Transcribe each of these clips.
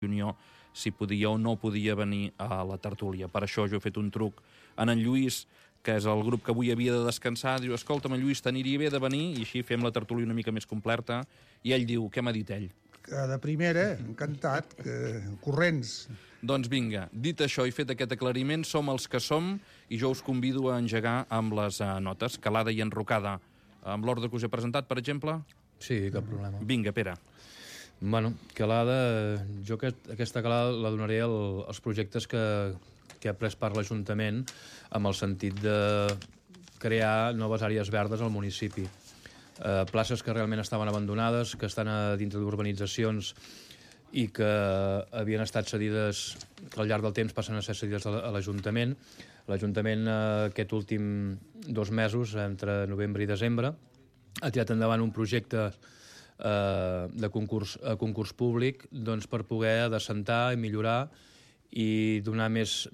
Unió si podia o no podia venir a la tertúlia. Per això jo he fet un truc en Lluís, que és el grup que avui havia de descansar. Diu, escolta'm, Lluís, t'aniria bé de venir? I així fem la tertúlia una mica més completa. I ell diu, què m'ha dit ell? De primera, encantat, corrents. Doncs vinga, dit això i fet aquest aclariment, som els que som i jo us convido a engegar amb les notes, calada i enrocada. Amb l'ordre que us he presentat, per exemple? Sí, cap problema. Vinga, Pere. Bueno, calada, jo aquesta calada la donaré als projectes que ha pres part l'Ajuntament amb el sentit de crear noves àrees verdes al municipi. Places que realment estaven abandonades, que estan a dintre d'urbanitzacions i que havien estat cedides, que al llarg del temps passen a ser cedides a l'Ajuntament. L'Ajuntament aquest últim 2 mesos, entre novembre i desembre, ha tirat endavant un projecte de concurs públic doncs, per poder descentar i millorar i donar més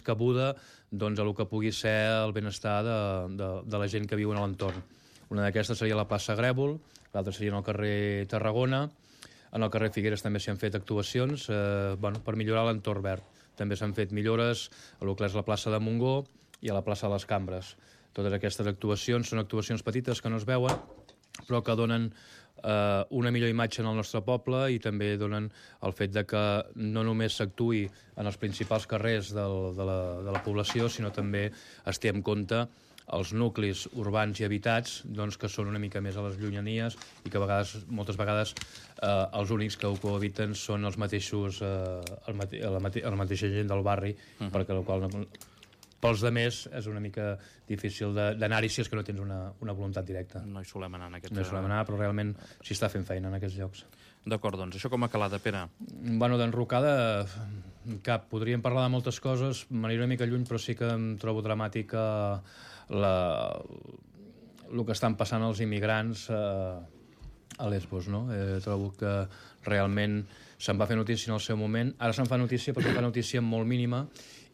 cabuda doncs, a el que pugui ser el benestar de la gent que viu en l'entorn. Una d'aquestes seria la plaça Grèvol, l'altra seria en el carrer Tarragona, en el carrer Figueres també s'hi han fet actuacions per millorar l'entorn verd. També s'han fet millores a el que és la plaça de Montgó i a la plaça de les Cambres. Totes aquestes actuacions són actuacions petites que no es veuen, però que donen una millor imatge en el nostre poble i també donen el fet de que no només s'actuï en els principals carrers de la població, sinó també es té en compte els nuclis urbans i habitats doncs, que són una mica més a les llunyanies i que moltes vegades els únics que ho cohabiten són els mateixos, la mateixa gent del barri, perquè la qual pels demés és una mica difícil d'anar-hi si és que no tens una voluntat directa. No hi solem anar en aquest... No hi solem anar, però realment s'hi està fent feina en aquests llocs. D'acord, doncs, això com a calada, Pere? Bueno, d'enrocada, cap. Podríem parlar de moltes coses, m'aniré una mica lluny, però sí que em trobo dramàtica el que estan passant els immigrants a Lesbos, no? Trobo que realment se'n va fer notícia en el seu moment, ara se'n fa notícia perquè fa notícia molt mínima,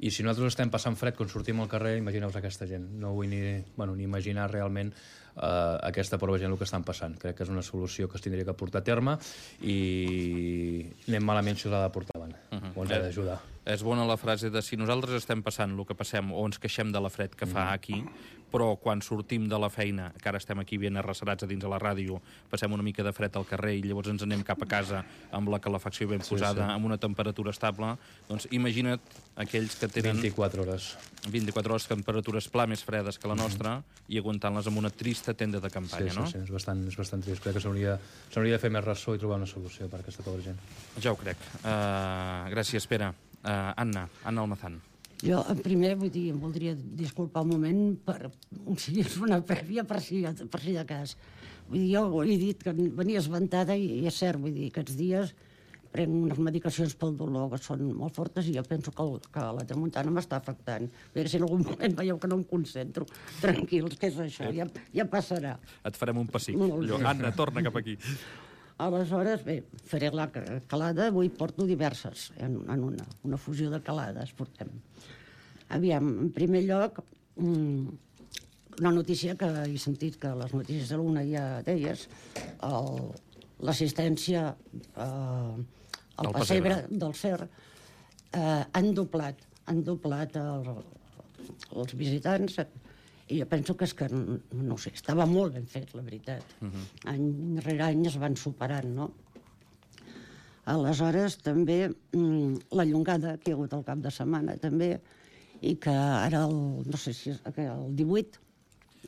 i si nosaltres estem passant fred quan sortim al carrer, imagineu-vos aquesta gent. No vull ni imaginar realment aquesta pobra gent el que estan passant. Crec que és una solució que es tindria que portar a terme i anem malament si us ha de portar avant, o ens ha d'ajudar. És bona la frase de si nosaltres estem passant el que passem o ens queixem de la fred que fa aquí, però quan sortim de la feina, que ara estem aquí ben arrecerats a dins de la ràdio, passem una mica de fred al carrer i llavors ens anem cap a casa amb la calefacció ben posada, amb una temperatura estable, doncs imagina't aquells que tenen 24 hores, temperatures pla més fredes que la nostra i aguantant-les amb una trista tenda de campanya, no? Sí, és bastant trist. Crec que s'hauria de fer més ressò i trobar una solució per a aquesta pobra gent. Ja ho crec. Gràcies, Pere. Anna Almazán. Jo, primer, em voldria disculpar un moment per una prèvia per si de cas. Vull dir, jo he dit que venia esventada i és cert, vull dir, aquests dies prenc unes medicacions pel dolor que són molt fortes i jo penso que la tramuntana m'està afectant. A veure si en algun moment veieu que no em concentro. Tranquils, què és això? Ja passarà. Et farem un pessic. Anna, torna cap aquí. Aleshores, bé, faré la calada, avui porto diverses, en una fusió de calades portem. Aviam, en primer lloc, una notícia que he sentit que les notícies de l'una ja deies, l'assistència al pessebre del CER han doblat els visitants, i jo penso que és que, no sé, estava molt ben fet, la veritat. Any rere any es van superant, no? Aleshores, també, la llongada que hi ha hagut al cap de setmana, també, i que ara, no sé si és el 18,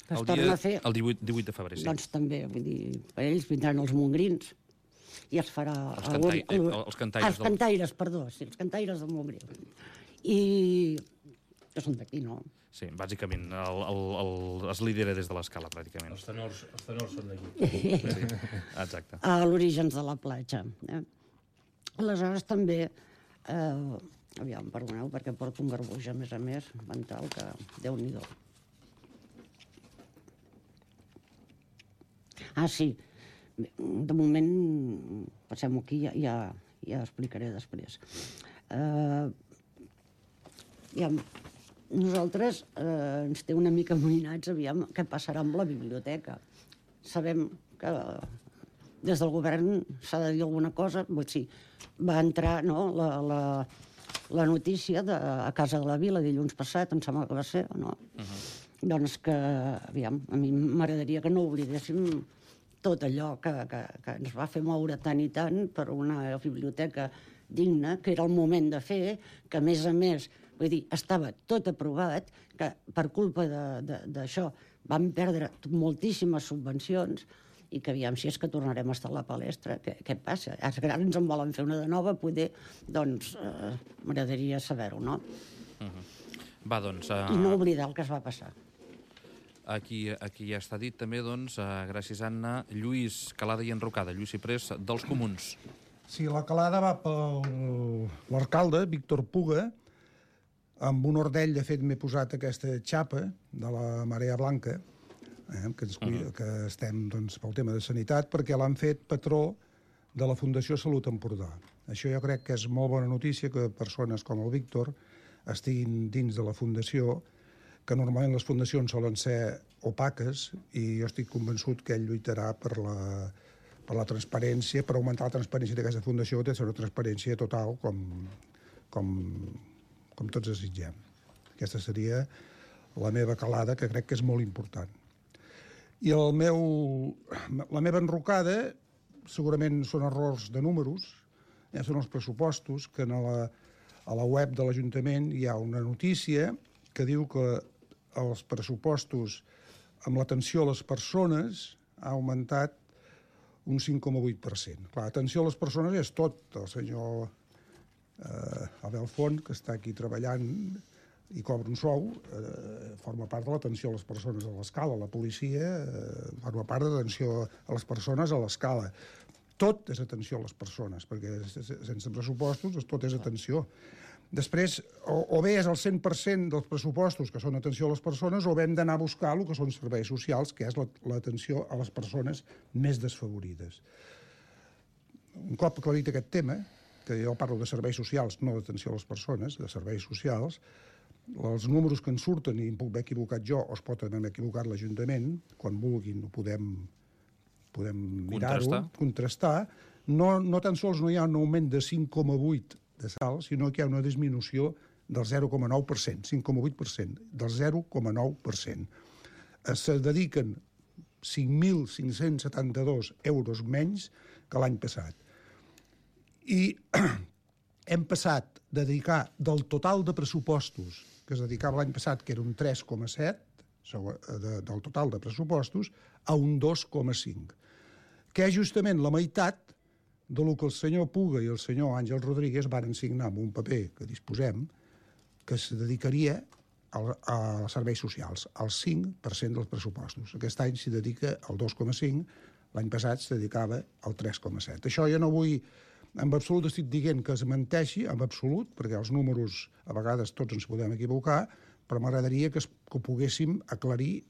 que es torna a fer... El 18 de febrer, sí. Doncs també, vull dir, per ells vindran els mongrins i es farà... Els cantaires. Els cantaires, perdó, sí, els cantaires del Montgrí. I... que són d'aquí, no? Sí, bàsicament, es lidera des de l'escala, pràcticament. Els tenors són d'aquí. Sí, exacte. A l'Orígens de la platja. Aleshores, també, aviam, perdoneu, perquè porto un garbuix, a més, mental, que Déu-n'hi-do. Ah, sí, de moment, passem-ho aquí, ja explicaré després. Nosaltres ens té una mica amoïnats, aviam què passarà amb la biblioteca. Sabem que des del govern s'ha de dir alguna cosa. Sí, va entrar la notícia a Casa de la Vila dilluns passat, em sembla que va ser, no? Doncs que, aviam, a mi m'agradaria que no oblidéssim tot allò que ens va fer moure tant i tant per una biblioteca digna, que era el moment de fer, que a més, vull dir, estava tot aprovat, que per culpa d'això vam perdre moltíssimes subvencions i que aviam si és que tornarem a estar a la palestra. Què passa? Els grans en volen fer una de nova, poder, doncs, m'agradaria saber-ho, no? Va, doncs... I no oblidar el que es va passar. Aquí ja està dit també, doncs, gràcies, Anna, Lluís Calada i Enrocada, Lluís Ciprés, dels Comuns. Sí, la calada va per l'alcalde, Víctor Puga. Amb un ordell, de fet, m'he posat aquesta xapa de la Marea Blanca, que estem, doncs, pel tema de sanitat, perquè l'han fet patró de la Fundació Salut Empordà. Això jo crec que és molt bona notícia que persones com el Víctor estiguin dins de la fundació, que normalment les fundacions solen ser opaques, i jo estic convençut que ell lluitarà per la transparència, per augmentar la transparència d'aquesta fundació, que té una transparència total, com tots desitgem. Aquesta seria la meva calada, que crec que és molt important. I la meva enrocada, segurament són errors de números, són els pressupostos, que a la web de l'Ajuntament hi ha una notícia que diu que els pressupostos amb l'atenció a les persones ha augmentat un 5,8%. Clar, atenció a les persones és tot. El senyor Abel Font, que està aquí treballant i cobra un sou, forma part de l'atenció a les persones a l'escala. La policia forma part de l'atenció a les persones a l'escala. Tot és atenció a les persones, perquè sense pressupostos tot és atenció. Després, o bé és el 100% dels pressupostos que són atenció a les persones, o bé hem d'anar a buscar el que són serveis socials, que és l'atenció a les persones més desfavorides. Un cop aclarit aquest tema, que jo parlo de serveis socials, no d'atenció a les persones, de serveis socials, els números que en surten, i em puc haver equivocat jo, o es pot haver equivocat l'Ajuntament, quan vulguin ho podem mirar-ho, contrastar, no tan sols no hi ha un augment de 5,8% de sal, sinó que hi ha una disminució del 0,9%, 5,8%, del 0,9%. Se dediquen 5.572 euros menys que l'any passat. I hem passat de dedicar del total de pressupostos que es dedicava l'any passat, que era un 3,7% del total de pressupostos, a un 2,5%, que és justament la meitat del que el senyor Puga i el senyor Àngel Rodríguez varen signar amb un paper que disposem, que es dedicaria a serveis socials, al 5% dels pressupostos. Aquest any s'hi dedica al 2,5%, l'any passat s'hi dedicava al 3,7%. Això jo no vull, en absolut estic dient que es menteixi, en absolut, perquè els números a vegades tots ens podem equivocar, però m'agradaria que ho poguéssim aclarir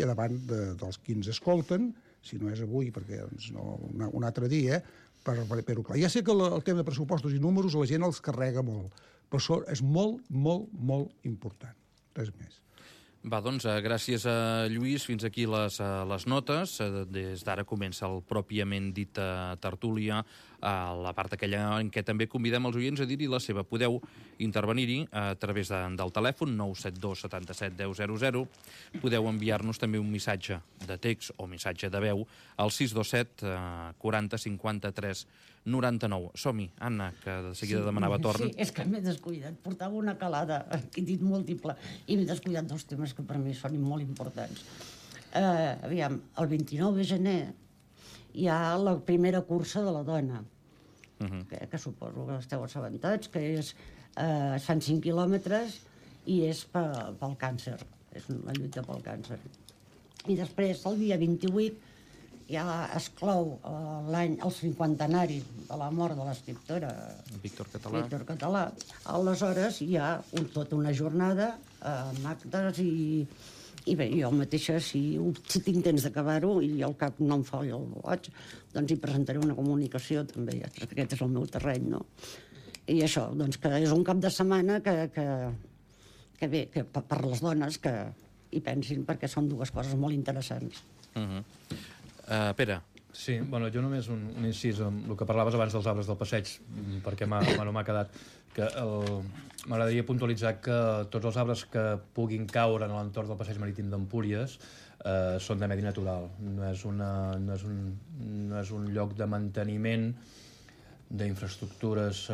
davant dels qui ens escolten, si no és avui, perquè un altre dia, per fer-ho clar. Ja sé que el tema de pressupostos i números la gent els carrega molt, però això és molt, molt, molt important. Res més. Va, doncs, gràcies a Lluís. Fins aquí les notes. Des d'ara comença el pròpiament dit tertúlia, la part aquella en què també convidem els oients a dir-hi la seva. Podeu intervenir-hi a través del telèfon 972 77 10 00. Podeu enviar-nos també un missatge de text o missatge de veu al 627 40 53 99. Som-hi, Anna, que de seguida demanava torn. Sí, és que m'he descuidat. Portava una calada, he dit múltiple, i m'he descuidat dos temes que per mi són molt importants. Aviam, el 29 de gener hi ha la primera cursa de la dona, que suposo que esteu assabentats, que es fan 5 quilòmetres i és pel càncer, és la lluita pel càncer. I després, el dia 28, ja es clou el 50anari de la mort de l'escriptora Víctor Català. Aleshores hi ha tota una jornada amb actes i bé, jo mateixa, si tinc temps d'acabar-ho i al cap no em falla el boig, doncs hi presentaré una comunicació també, aquest és el meu terreny, no? I això, doncs que és un cap de setmana que bé, que per les dones que hi pensin, perquè són dues coses molt interessants. Pere, Sí, bueno, jo només un incís amb el que parlaves abans dels arbres del passeig, perquè m'ha quedat que m'agradaria puntualitzar que tots els arbres que puguin caure en l'entorn del passeig marítim d'Empúries són de medi natural. No és un lloc de manteniment d'infraestructures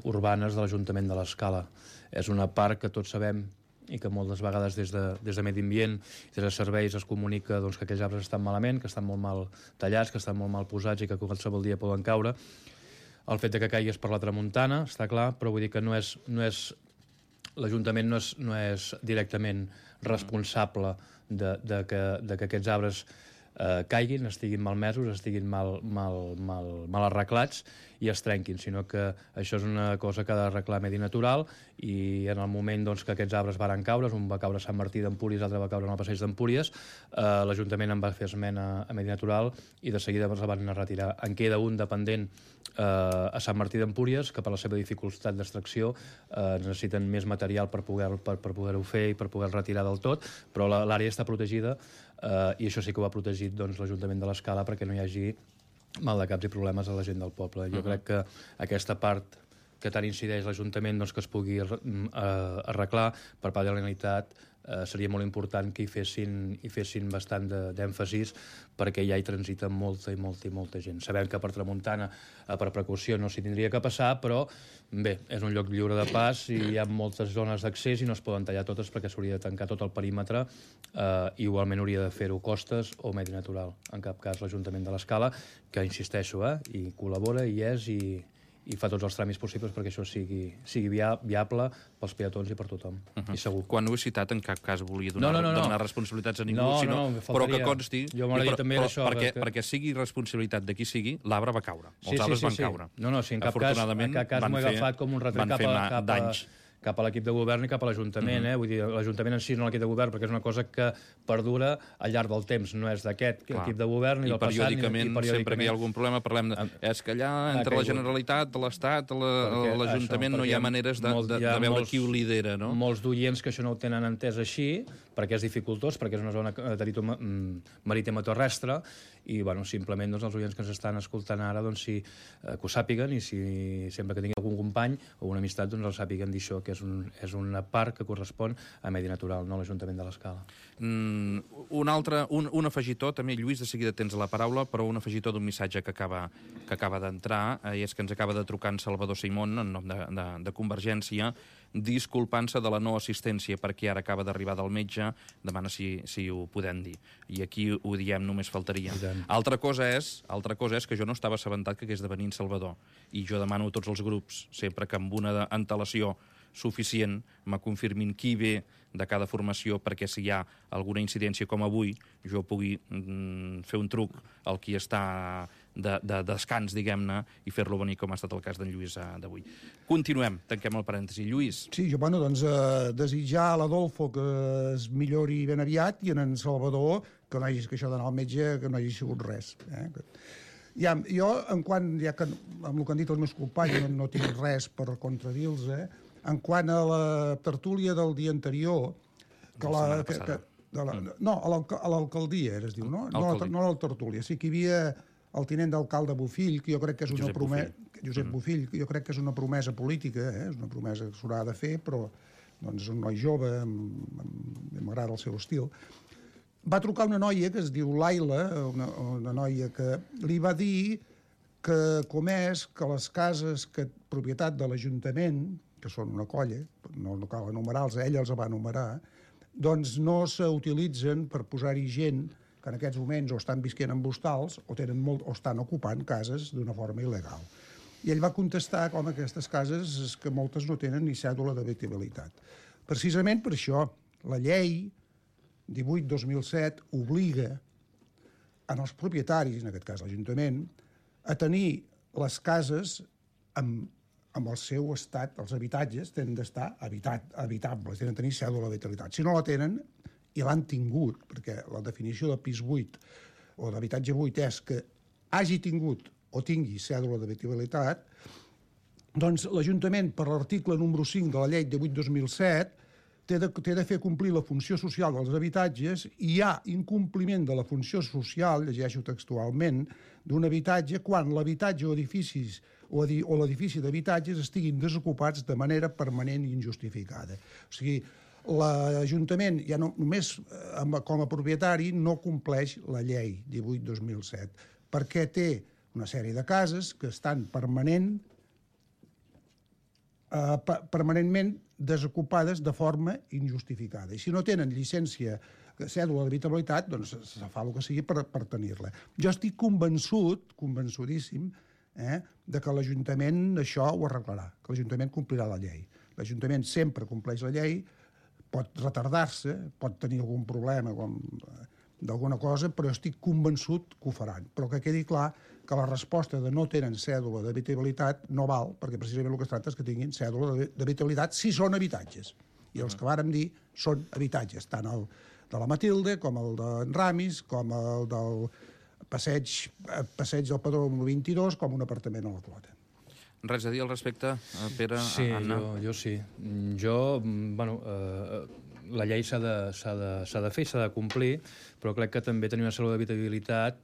urbanes de l'Ajuntament de l'Escala. És una part que tots sabem i que moltes vegades des de Medi Ambient i des de serveis es comunica doncs, que aquells arbres estan malament, que estan molt mal tallats, que estan molt mal posats i que qualsevol dia poden caure. El fet de que caigués per la tramuntana, està clar, però vull dir que l'Ajuntament no és directament responsable de que aquests arbres caiguin, estiguin malmesos, estiguin mal arreglats i es trenquin, sinó que això és una cosa que ha d'arreglar Medi Natural i en el moment doncs, que aquests arbres varen caure, un va caure a Sant Martí d'Empúries, l'altre va caure en el passeig d'Empúries, l'Ajuntament en va fer esmena a Medi Natural i de seguida es van retirar. En queda un dependent a Sant Martí d'Empúries, que per la seva dificultat d'extracció necessiten més material per poder-ho fer i per poder retirar del tot, però l'àrea està protegida i això sí que ho ha protegit doncs, l'Ajuntament de l'Escala perquè no hi hagi maldecaps i problemes a la gent del poble. Jo crec que aquesta part que tant incideix l'Ajuntament doncs, que es pugui arreglar per part de la Generalitat seria molt important que hi fessin bastant d'èmfasis perquè ja hi transita molta gent. Sabem que per tramuntana, per precaució, no s'hi tindria que passar, però bé, és un lloc lliure de pas i hi ha moltes zones d'accés i no es poden tallar totes perquè s'hauria de tancar tot el perímetre. Igualment hauria de fer-ho Costes o Medi Natural. En cap cas l'Ajuntament de l'Escala, que insisteixo, i col·labora, i i fa tots els tràmits possibles perquè això sigui viable pels peatons i per tothom, i segur. Quan ho he citat, en cap cas volia donar responsabilitats a ningú, però que consti... Jo m'agradaria també d'això... Perquè sigui responsabilitat de qui sigui, l'arbre va caure. Els arbres van caure. No, si en cap cas m'ho he agafat com un retret cap a l'equip de govern i cap a l'Ajuntament. Vull dir, l'Ajuntament en si no l'equip de govern, perquè és una cosa que perdura al llarg del temps, no és d'aquest equip de govern ni del passat. I periòdicament, sempre que hi ha algun problema, parlem de... És que allà, entre la Generalitat, l'Estat, l'Ajuntament, no hi ha maneres de veure qui ho lidera, no? Molts d'oients que això no ho tenen entès així, perquè és dificultós, perquè és una zona marítima terrestre, i simplement els oients que ens estan escoltant ara que ho sàpiguen i si sempre que tingui algun company o una amistat el sàpiguen dir això, que és una part que correspon a Medi Natural, no a l'Ajuntament de l'Escala. Un afegitó, també, Lluís, de seguida tens la paraula, però un afegitó d'un missatge que acaba d'entrar, i és que ens acaba de trucar en Salvador Simón, en nom de Convergència, disculpant-se de la no assistència perquè ara acaba d'arribar del metge, demana si ho podem dir. I aquí ho diem, només faltaria. Altra cosa és que jo no estava assabentat que hagués de venir en Salvador. I jo demano a tots els grups, sempre que amb una antelació suficient me confirmin qui ve de cada formació perquè si hi ha alguna incidència com avui jo pugui fer un truc al qui està de descans, diguem-ne, i fer-lo venir com ha estat el cas d'en Lluís d'avui. Continuem, tanquem el parèntesi. Lluís. Sí, jo, desitjar a l'Adolfo que es millori ben aviat i en Salvador que això d'anar al metge que no hagi sigut res. Jo, ja que amb el que han dit els meus companys no tinc res per contradir-los, en quant a la tertúlia del dia anterior, a l'alcaldia, es diu, no? No a la tertúlia. Sí que hi havia el tinent d'alcalde Bofill, que jo crec que és una promesa... Josep Bofill, que jo crec que és una promesa política, és una promesa que s'haurà de fer, però és un noi jove, m'agrada el seu estil. Va trucar una noia que es diu Laila, una noia que li va dir que que les cases propietat de l'Ajuntament, que són una colla, no cal enumerar-los, ella els va enumerar, doncs no s'utilitzen per posar-hi gent que en aquests moments o estan visquent en hostals o estan ocupant cases d'una forma il·legal. I ell va contestar com aquestes cases és que moltes no tenen ni cèdula d'habitabilitat. Precisament per això la llei 18/2007 obliga en els propietaris, en aquest cas l'Ajuntament, a tenir les cases amb el seu estat, els habitatges tenen d'estar habitables, tenen de tenir cèdula d'habitabilitat. Si no la tenen, i l'han tingut, perquè la definició de pis buit o d'habitatge buit és que hagi tingut o tingui cèdula d'habitabilitat, doncs l'Ajuntament, per l'article número 5 de la llei 18/2007, té de fer complir la funció social dels habitatges i hi ha incompliment de la funció social, llegeixo textualment, d'un habitatge quan l'habitatge o edificis o l'edifici d'habitatges estiguin desocupats de manera permanent i injustificada. O sigui, l'Ajuntament, ja no, només com a propietari, no compleix la llei 18/2007, perquè té una sèrie de cases que estan permanentment desocupades de forma injustificada. I si no tenen llicència, cèdula d'habitabilitat, doncs se fa el que sigui per tenir-la. Jo estic convençudíssim, de que l'Ajuntament això ho arreglarà, que l'Ajuntament complirà la llei. L'Ajuntament sempre compleix la llei, pot retardar-se, pot tenir algun problema d'alguna cosa, però estic convençut que ho faran. Però que quedi clar que la resposta de no tenen cèdula d'habitabilitat no val, perquè precisament el que es tracta és que tinguin cèdula d'habitabilitat si són habitatges. I els que vàrem dir són habitatges, tant el de la Matilde, com el d'en Ramis, com el del passeig del Padró 22, com un apartament a la Clota. Res a dir al respecte, Pere, sí, Anna? Jo sí. La llei s'ha de fer i s'ha de complir, però crec que també tenir una cèdula d'habitabilitat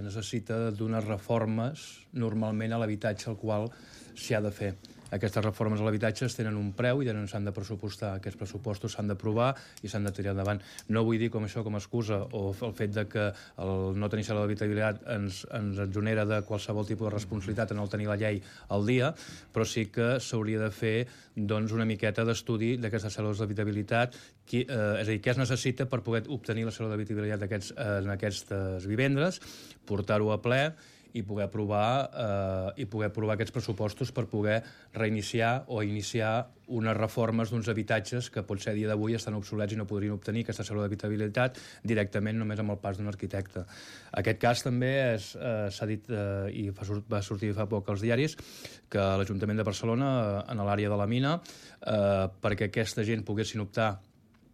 necessita d'unes reformes normalment a l'habitatge al qual s'hi ha de fer. Aquestes reformes a l'habitatge tenen un preu i s'han de pressupostar. Aquests pressupostos s'han d'aprovar i s'han de tirar endavant. No vull dir com això com a excusa o el fet de que el no tenir cèdula d'habitabilitat ens exonera de qualsevol tipus de responsabilitat en el tenir la llei al dia, però sí que s'hauria de fer una miqueta d'estudi d'aquestes cèdules d'habitabilitat, és a dir, què es necessita per poder obtenir la cèdula d'habitabilitat en aquestes vivendes, portar-ho a ple i poder aprovar aquests pressupostos per poder reiniciar o iniciar unes reformes d'uns habitatges que potser a dia d'avui estan obsolets i no podrien obtenir aquesta cèdula d'habitabilitat directament només amb el pas d'un arquitecte. Aquest cas també s'ha dit i va sortir fa poc als diaris que l'Ajuntament de Barcelona, en l'àrea de la mina, perquè aquesta gent poguessin optar,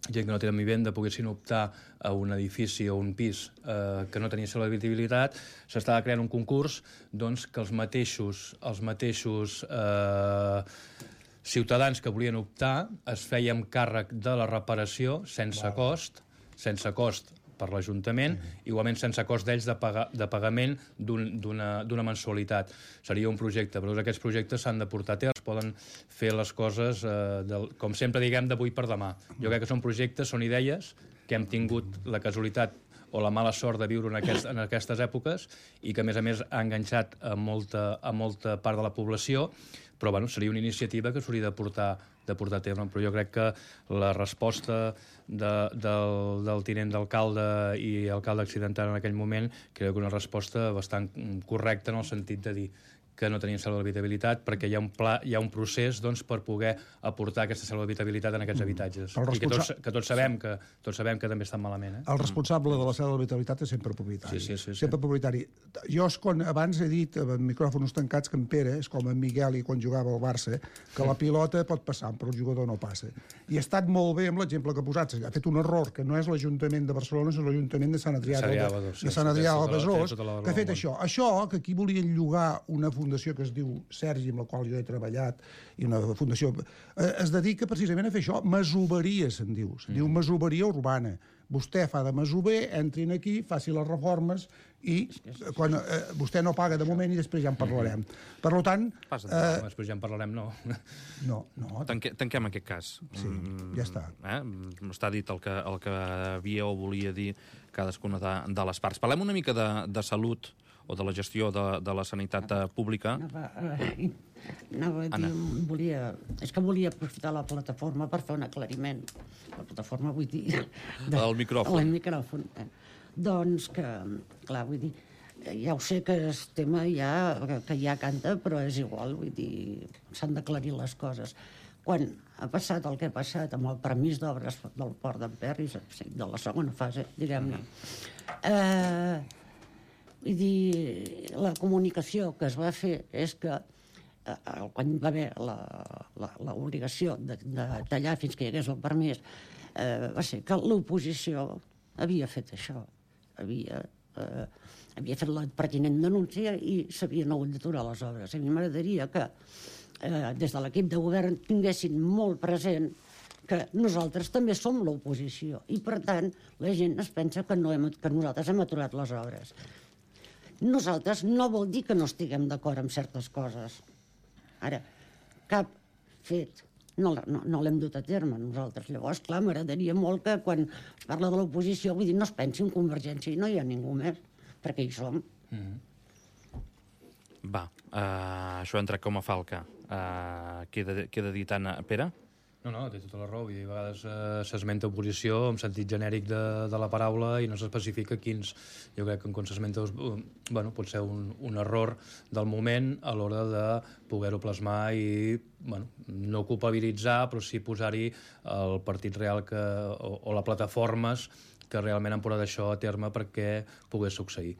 gent que no tenen vivenda, poguessin optar a un edifici o un pis que no tenia cèdula d'habitabilitat, s'estava creant un concurs que els mateixos ciutadans que volien optar es feien càrrec de la reparació sense cost per l'Ajuntament, igualment sense cost d'ells de pagament d'una mensualitat. Seria un projecte, però aquests projectes s'han de portar a terme, es poden fer les coses, com sempre diguem, d'avui per demà. Jo crec que són projectes, són idees que hem tingut la casualitat o la mala sort de viure en aquestes èpoques i que, a més, ha enganxat a molta part de la població, però seria una iniciativa que s'hauria de portar a terme. Però jo crec que la resposta del tinent d'alcalde i alcalde accidental en aquell moment crec que una resposta bastant correcta en el sentit de dir que no tenien cèdula d'habitabilitat perquè hi ha un procés per poder aportar aquesta cèdula d'habitabilitat en aquests habitatges. I que tots sabem que també estan malament. El responsable de la cèdula d'habitabilitat és sempre propietari. Sí. Sempre propietari. Jo abans he dit, amb micròfons tancats, que en Pere és com en Miguel i quan jugava al Barça, que la pilota pot passar, però el jugador no passa. I ha estat molt bé amb l'exemple que ha posat. Ha fet un error, que no és l'Ajuntament de Barcelona, és l'Ajuntament de Sant Adrià de Besòs, que ha fet això. Això, que aquí volien llogar una fundació que es diu Sergi, amb la qual jo he treballat, i una fundació, es dedica precisament a fer això, masoveria, se'n diu masoveria urbana. Vostè fa de masover, entrin aquí, faci les reformes i vostè no paga de moment i després ja en parlarem. Per tant... Després ja en parlarem, no. No. Tanquem aquest cas. Sí, ja està. Està dit el que havia o volia dir cadascuna de les parts. Parlem una mica de salut o de la gestió de la sanitat pública. És que volia aprofitar la plataforma per fer un aclariment. La plataforma, vull dir... El micròfon. El micròfon. Doncs que, clar, vull dir, ja ho sé que el tema que ja canta, però és igual, vull dir, s'han d'aclarir les coses. Quan ha passat el que ha passat amb el permís d'obres del Port d'Emperris, de la segona fase, diguem-ne, vull dir, la comunicació que es va fer és que quan va haver l'obligació de tallar fins que hi hagués el permís, va ser que l'oposició havia fet això. Havia fet la pertinent denúncia i s'havien hagut d'aturar les obres. A mi m'agradaria que des de l'equip de govern tinguessin molt present que nosaltres també som l'oposició i, per tant, la gent es pensa que nosaltres hem aturat les obres. Nosaltres no vol dir que no estiguem d'acord amb certes coses. Ara, cap fet no l'hem dut a terme nosaltres. Llavors, clar, m'agradaria molt que quan parla de l'oposició, vull dir, no es pensi en Convergència i no hi ha ningú més, perquè hi som. Va, això ha entrat com a falca. Queda dit, Anna. Pere? No, té tota la raó. Vull dir, a vegades s'esmenta oposició en sentit genèric de la paraula i no s'especifica quins. Jo crec que quan s'esmenta pot ser un error del moment a l'hora de poder-ho plasmar i no culpabilitzar, però sí posar-hi el partit real o les plataformes que realment han portat això a terme perquè pogués succeir.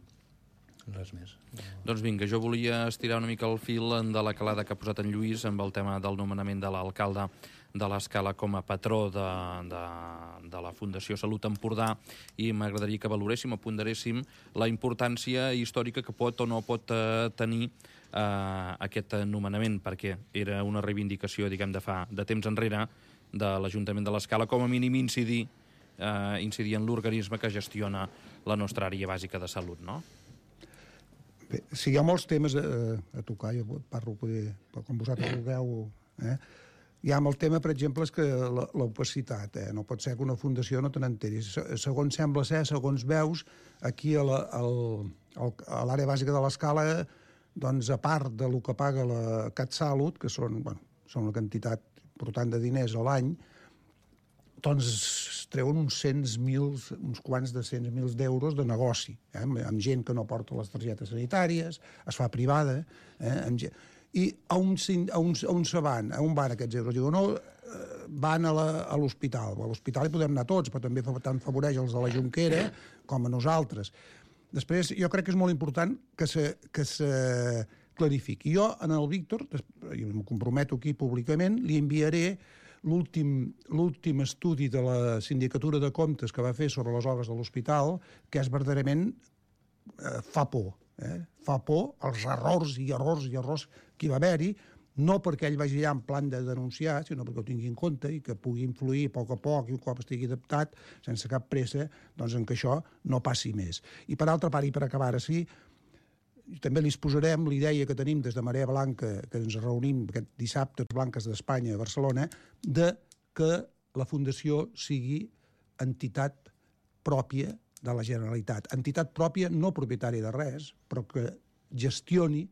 Res més. Doncs vinga, jo volia estirar una mica el fil de la calada que ha posat en Lluís amb el tema del nomenament de l'alcalde de l'Escala com a patró de la Fundació Salut Empordà i m'agradaria que valoréssim o ponderéssim la importància històrica que pot o no pot tenir aquest nomenament, perquè era una reivindicació, diguem, de temps enrere de l'Ajuntament de l'Escala, com a mínim incidir en l'organisme que gestiona la nostra àrea bàsica de salut, no? Bé, sí, hi ha molts temes a tocar, jo parlo com vosaltres vulgueu. Hi ha el tema, per exemple, és que l'opacitat. No pot ser que una fundació no te n'enteri. Segons sembla ser, segons veus, aquí a l'àrea bàsica de l'Escala, doncs, a part del que paga la CatSalut, que són una quantitat important de diners a l'any, doncs es treuen uns quants de 100.000 d'euros de negoci, amb gent que no porta les targetes sanitàries, es fa privada, i on se van? On van aquests euros? Diuen, no, van a l'hospital. A l'hospital hi podem anar tots, però també tant favoreix els de la Jonquera com a nosaltres. Després, jo crec que és molt important que se clarifiqui. Jo, en el Víctor, i em comprometo aquí públicament, li enviaré l'últim estudi de la Sindicatura de Comptes que va fer sobre les obres de l'hospital, que és verdaderament fa por. Fa por els errors que hi va haver-hi, no perquè ell vagi allà en plan de denunciar, sinó perquè ho tingui en compte i que pugui influir a poc i un cop estigui adaptat, sense cap pressa, doncs en que això no passi més. I per altra part, i per acabar així, també li exposarem l'idea que tenim des de Marea Blanca, que ens reunim aquest dissabte, Blanques d'Espanya, a Barcelona, de que la Fundació sigui entitat pròpia de la Generalitat. Entitat pròpia, no propietària de res, però que gestioni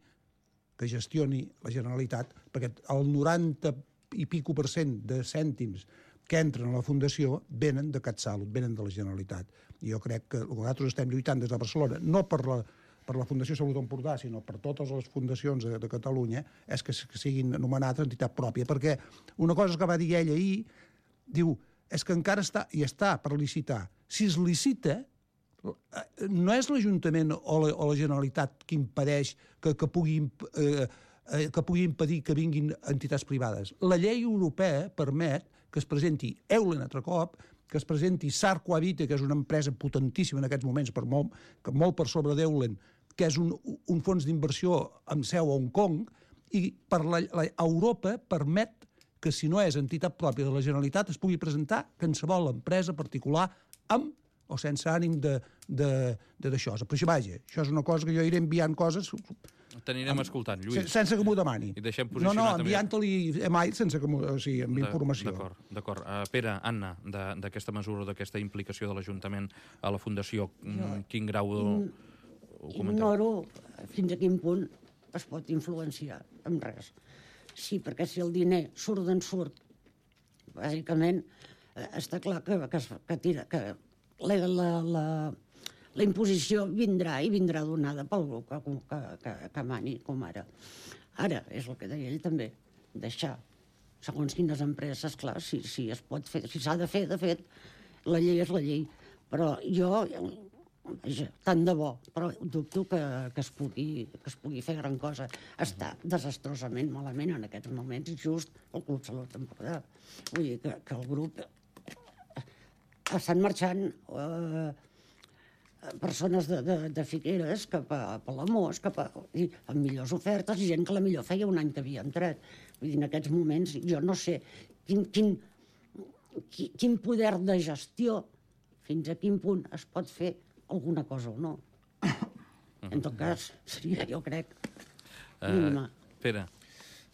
la Generalitat, perquè el 90 i pico % de cèntims que entren a la Fundació venen de CatSalut, venen de la Generalitat. I jo crec que nosaltres estem lluitant des de Barcelona, no per la Fundació Salut Empordà, sinó per totes les fundacions de Catalunya, és que siguin anomenades entitat pròpia, perquè una cosa que va dir ell ahir, diu, és que encara està per licitar. Si es licita, no és l'Ajuntament o la Generalitat que impedeix que pugui impedir que vinguin entitats privades. La llei europea permet que es presenti Eulen altre cop, que es presenti Sarco Habite, que és una empresa potentíssima en aquests moments, molt per sobre d'Eulen, que és un fons d'inversió amb seu a Hong Kong, i Europa permet que si no és entitat pròpia de la Generalitat es pugui presentar qualsevol empresa particular amb o sense ànim d'això. Però això és una cosa que jo iré enviant coses... T'anirem escoltant, Lluís. Sense que m'ho demani. I deixem posicionar també... enviant-li mai sense que amb informació. D'acord. Pere, Anna, d'aquesta mesura, d'aquesta implicació de l'Ajuntament a la Fundació, quin grau ho comenteu? Ignoro fins a quin punt es pot influenciar amb res. Sí, perquè si el diner surt d'on surt, bàsicament, està clar que la imposició vindrà i vindrà donada pel grup que mani, com ara. Ara, és el que deia ell també, deixar, segons quines empreses, clar, si es pot fer, si s'ha de fer, de fet, la llei és la llei. Però jo, tant de bo, però dubto que es pugui fer gran cosa. Està desastrosament malament en aquests moments, just el Club Salut Empordà. Vull dir que el grup estan marxant persones de Figueres cap a Palamós, amb millors ofertes, i gent que la millor feia un any que havia entrat. Vull dir, en aquests moments, jo no sé quin poder de gestió, fins a quin punt es pot fer alguna cosa o no. En tot cas, seria, jo crec, mínima. Pere.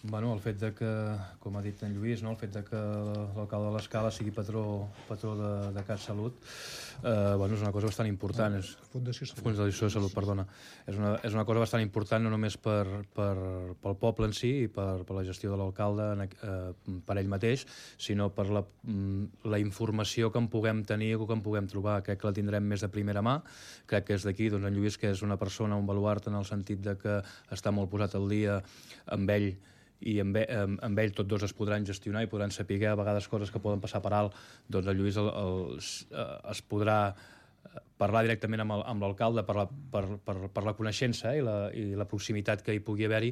Bueno, el fet de que, com ha dit en Lluís, no? El fet de que l'alcalde de l'Escala sigui patró de CatSalut, bueno, és una cosa bastant important. Fundació Salut. Fundació Salut, perdona. És una cosa bastant important no només pel poble en si i per la gestió de l'alcalde per ell mateix, sinó per la informació que en puguem tenir o que en puguem trobar. Crec que la tindrem més de primera mà. Crec que és d'aquí, doncs, en Lluís, que és una persona, un baluart en el sentit de que està molt posat al dia amb ell, i amb ell tots dos es podran gestionar i podran saber a vegades coses que poden passar per alt, doncs el Lluís es podrà parlar directament amb l'alcalde per la coneixença i la proximitat que hi pugui haver-hi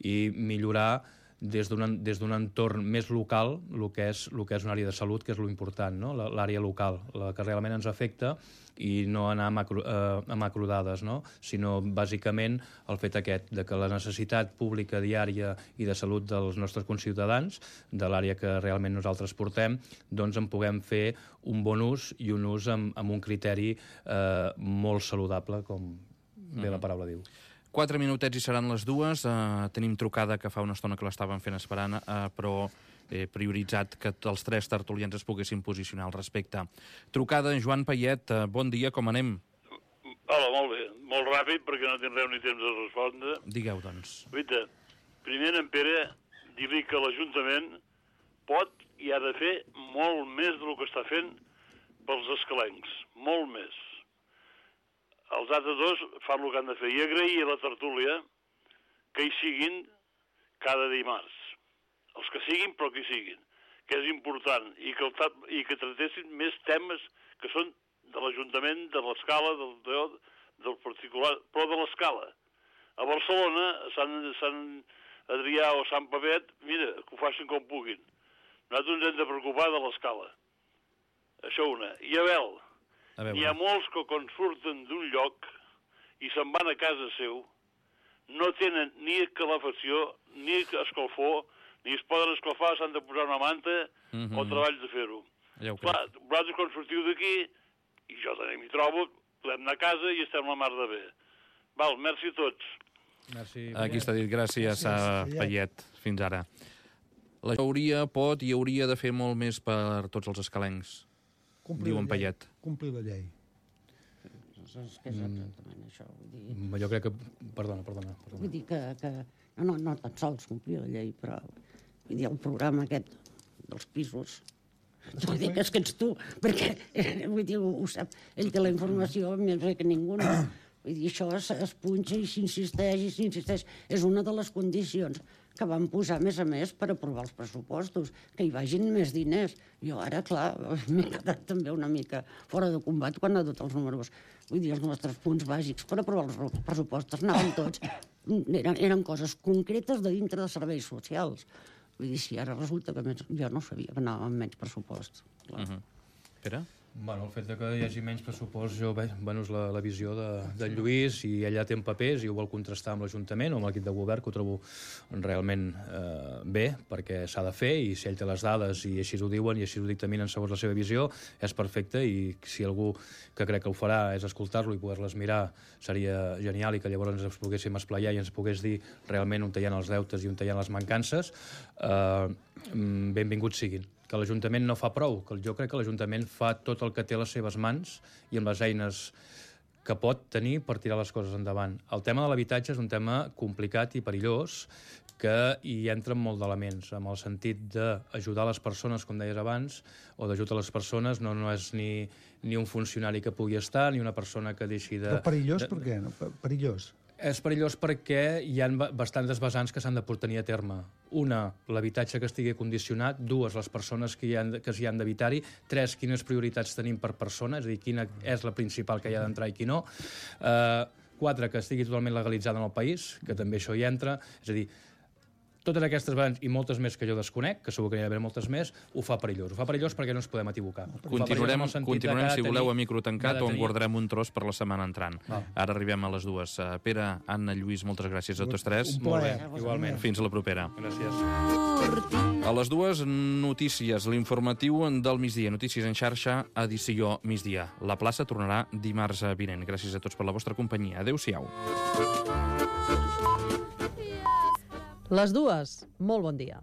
i millorar des d'un entorn més local el que és una àrea de salut, que és l'important, no? L'àrea local, la que realment ens afecta, i no anar a macrodades, no? Sinó bàsicament el fet aquest, de que la necessitat pública diària i de salut dels nostres conciutadans, de l'àrea que realment nosaltres portem, doncs en puguem fer un bon ús i un ús amb un criteri molt saludable, com bé la paraula diu. 4 minutets i seran les 2. Tenim trucada que fa una estona que l'estàvem fent esperant, però he prioritzat que els 3 tertulians es poguessin posicionar al respecte. Trucada, Joan Payet, bon dia, com anem? Hola, molt bé. Molt ràpid, perquè no tindreu ni temps de respondre. Digueu, doncs. Guaita, primer en Pere, dir-li que l'Ajuntament pot i ha de fer molt més del que està fent pels escalencs. Molt més. Els altres dos fan el que han de fer. I agrair a la tertúlia que hi siguin cada dimarts. Els que siguin, però que hi siguin, que és important, i que tratessin més temes que són de l'Ajuntament, de l'Escala, del particular, però de l'Escala. A Barcelona, Sant Adrià o Sant Pavet, mira, que ho facin com puguin. Nosaltres ens hem de preocupar de l'Escala. Això una. I n'hi ha molts que quan surten d'un lloc i se'n van a casa seu, no tenen ni calefacció, ni escalfor, ni es poden escalfar, s'han de posar una manta o treballs de fer-ho. Clar, vosaltres quan sortiu d'aquí, i jo també m'hi trobo, podem anar a casa i estem la mar de bé. Val, merci a tots. Merci. Aquí està dit, gràcies a Payet, fins ara. La pot i hauria de fer molt més per tots els escalencs, diu en Payet. Complir la llei. És que és exactament això. Vull dir... Jo crec que... Perdona. Vull dir que no tan sols complir la llei, però vull dir, el programa aquest dels pisos, jo dic que és que ets tu, perquè vull dir, ho sap, ell té la informació més bé que ningú, no? Vull dir, això es punxa i s'insisteix, és una de les condicions que van posar, a més, per aprovar els pressupostos, que hi vagin més diners. Jo ara, clar, m'he quedat també una mica fora de combat quan ha dut els números. Vull dir, els nostres punts bàsics per aprovar els pressupostos anaven tots. Eren coses concretes de dintre de serveis socials. Vull dir, si ara resulta que jo no sabia que anàvem amb menys pressupost. Pere? Bueno, el fet que hi hagi menys pressupost, és la visió de Lluís, i ella té papers i ho vol contrastar amb l'Ajuntament o amb l'equip de govern, que ho trobo realment bé, perquè s'ha de fer, i si ell té les dades i així ho diuen i així ho dictaminen segons la seva visió, és perfecte, i si algú que crec que ho farà és escoltar-lo i poder-les mirar, seria genial, i que llavors ens poguéssim esplaiar i ens pogués dir realment on hi ha els deutes i on hi ha les mancances. Benvinguts siguin. Que l'Ajuntament no fa prou, que jo crec que l'Ajuntament fa tot el que té a les seves mans i amb les eines que pot tenir per tirar les coses endavant. El tema de l'habitatge és un tema complicat i perillós, que hi entren molt d'elements, amb el sentit d'ajudar les persones, com deies abans, o d'ajudar les persones, no és ni un funcionari que pugui estar, ni una persona que deixi de... Però perillós per què? Perillós? És perillós perquè hi ha bastantes vessants que s'han de tenir a terme. Una, l'habitatge que estigui condicionat. 2, les persones que s'hi han d'habitar-hi. 3, quines prioritats tenim per persona, és a dir, quina és la principal que hi ha d'entrar i qui no. 4, que estigui totalment legalitzada en el país, que també això hi entra. És a dir, totes aquestes variants i moltes més que jo desconec, que segur que n'hi ha d'haver moltes més, ho fa perillós. Ho fa perillós perquè no ens podem equivocar. Continuarem, si voleu, a micro tancat, on guardarem un tros per la setmana entrant. Ara arribem a les 2. Pere, Anna, Lluís, moltes gràcies a tots tres. Un plaer. Igualment. Fins a la propera. Gràcies. A les 2, notícies, l'informatiu del migdia. Notícies en xarxa, edició migdia. La plaça tornarà dimarts vinent. Gràcies a tots per la vostra companyia. Adéu-siau. Les 2, molt bon dia.